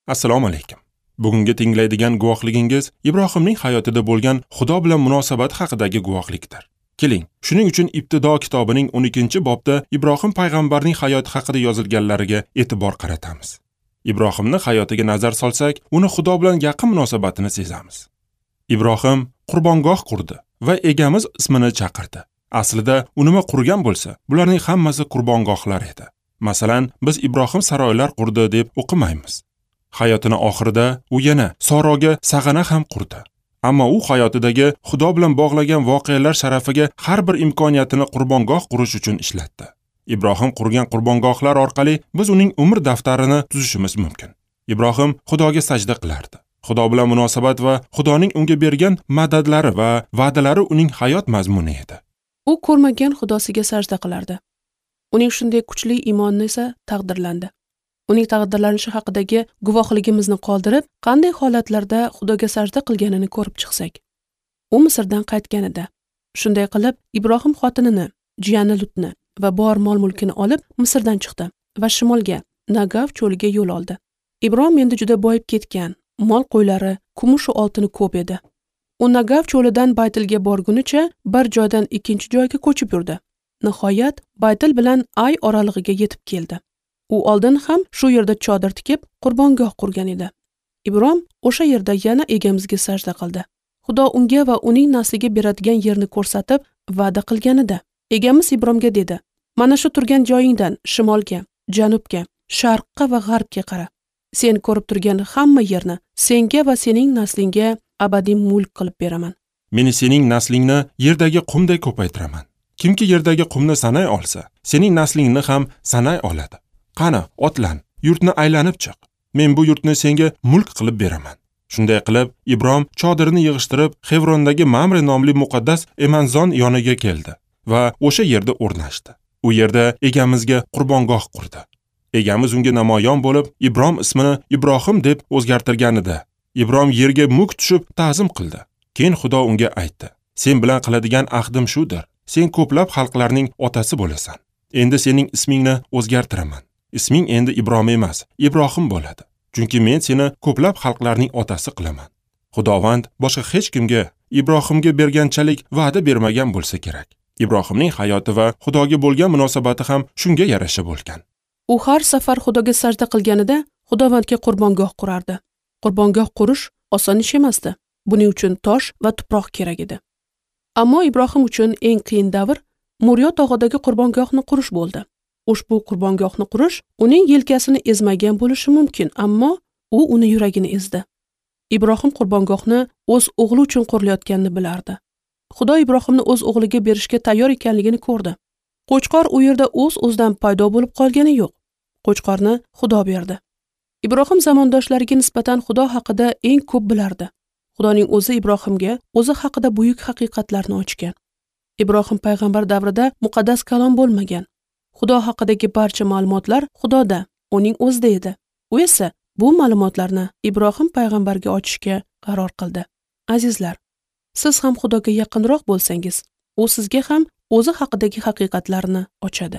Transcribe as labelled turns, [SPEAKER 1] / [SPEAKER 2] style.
[SPEAKER 1] Assalomu alaykum. Bugungi tinglaydigan guvohligingiz Ibrohimning hayotida bo'lgan Xudo bilan munosabat haqidagi guvohlikdir. Keling, shuning uchun Ibtido kitobining 12-bobda Ibrohim payg'ambarning hayoti haqida yozilganlariga e'tibor qaratamiz. Ibrohimning hayotiga nazar solsak, uni Xudo bilan yaqin munosabatini sezamiz. Ibrohim qurbongoh qurdi va Egamiz ismini chaqirdi. Aslida u nima qurgan bo'lsa, bularning hammasi qurbongohlar edi. Masalan, biz Ibrohim saroylar qurdi deb o'qimaymiz. Hayotini oxirida u yana Soroga sag'ana ham qurdi. Ammo u hayotidagi Xudo bilan bog'lagan voqealar sharafiga har bir imkoniyatini qurbongoh qurish uchun ishlatdi. Ibrohim qurgan qurbongohlar orqali biz uning umr daftarini tuzishimiz mumkin. Ibrohim Xudoga sajda qilardi. Xudo bilan munosabat va Xudoning unga bergan madadlari va va'dalari uning hayot mazmuni edi.
[SPEAKER 2] U ko'rmagan Xudosiga sajda qilardi. Uning shunday kuchli iymoni esa taqdirlandi. Uning taqdirlanishi haqidagi guvohligimizni qoldirib, qanday holatlarda Xudoga sajda qilganini ko'rib chiqsak. U Misrdan qaytganida, shunday qilib Ibrohim xotinini, jiyani Lutni va bor mol-mulkini olib Misrdan chiqdi va shimolga, Nagav cho'liga yo'l oldi. Ibrohim endi juda boyib ketgan, mol qo'ylari, kumush va oltini ko'p edi. U Nagav cho'lidan Baytilga borgunicha bir joydan ikkinchi joyga ko'chib yurdi. Nihoyat Baytil bilan Ay oralig'iga yetib keldi. U oldin ham shu yerda chodir tikib, qurbongoh qurgan edi. Ibrohim o'sha yerda yana Egamizga sajda qildi. Xudo unga va uning nasliga beradigan yerni ko'rsatib va'da qilganida, Egamiz Ibrohimga dedi: "Mana shu turgan joyingdan shimolga, janubga, sharqqa va g'arbga qara. Sen ko'rib turgan hamma yerni senga va sening naslingga abadiy mulk qilib beraman.
[SPEAKER 1] Men sening naslingni yerdagi qumday ko'paytiraman. Kimki yerdagi qumni sanay olsa, sening naslingni ham sanay oladi. Qani, otlan, yurtni aylanib chiq. Men bu yurtni senga mulk qilib beraman." Shunday qilib, Ibrohim chodirini yig'ishtirib, Xevrondagi Mamre nomli muqaddas emanzon yoniga keldi va o'sha yerda o'rnashdi. U yerda Egamizga qurbongoh qurdi. Egamiz unga namoyon bo'lib, Ibrohim ismini Ibrohim deb o'zgartirganida, Ibrohim yerga muk tushib ta'zim qildi. Keyin Xudo unga aytdi: "Sen bilan qiladigan ahdim shudir. Sen ko'plab xalqlarning otasi bo'lasan. Endi sening ismingni o'zgartiraman. Isming endi Ibrohim emas, Ibrohim bo'ladi. Chunki men seni ko'plab xalqlarning otasi qilaman." Xudovand boshqa hech kimga Ibrohimga berganchalik va'da bermagan bo'lsa kerak. Ibrohimning hayoti va Xudoga bo'lgan munosabati ham shunga yarasha bo'lgan.
[SPEAKER 2] U har safar Xudoga sajda qilganida Xudovandga qurbongoh qurardi. Qurbongoh qurish oson ish emasdi. Buning uchun tosh va tuproq kerak edi. Ammo Ibrohim uchun eng qiyin davr Muriyo tog'idagi qurbongohni qurish bo'ldi. Ushbu qurbongohni qurish uning yelkasini ezmagan bo'lishi mumkin, ammo u uni yuragini ezdi. Ibrohim qurbongohni o'z o'g'li uchun qurilayotganini bilardi. Xudo Ibrohimni o'z o'g'liga berishga tayyor ekanligini ko'rdi. Qo'chqor u yerda o'z-o'zidan paydo bo'lib qolgani yo'q. Qo'chqorni Xudo berdi. Ibrohim zamondoshlariga nisbatan Xudo haqida eng ko'p bilardi. Xudoning o'zi Ibrohimga o'zi haqida buyuk haqiqatlarni ochgan. Ibrohim payg'ambar davrida muqaddas kalom bo'lmagan. Xudo haqidagi barcha ma'lumotlar Xudoda, uning o'zida edi. U esa bu ma'lumotlarni Ibrohim payg'ambarga ochishga qaror qildi. Azizlar, siz ham Xudoga yaqinroq bo'lsangiz, u sizga ham o'zi haqidagi haqiqatlarni ochadi.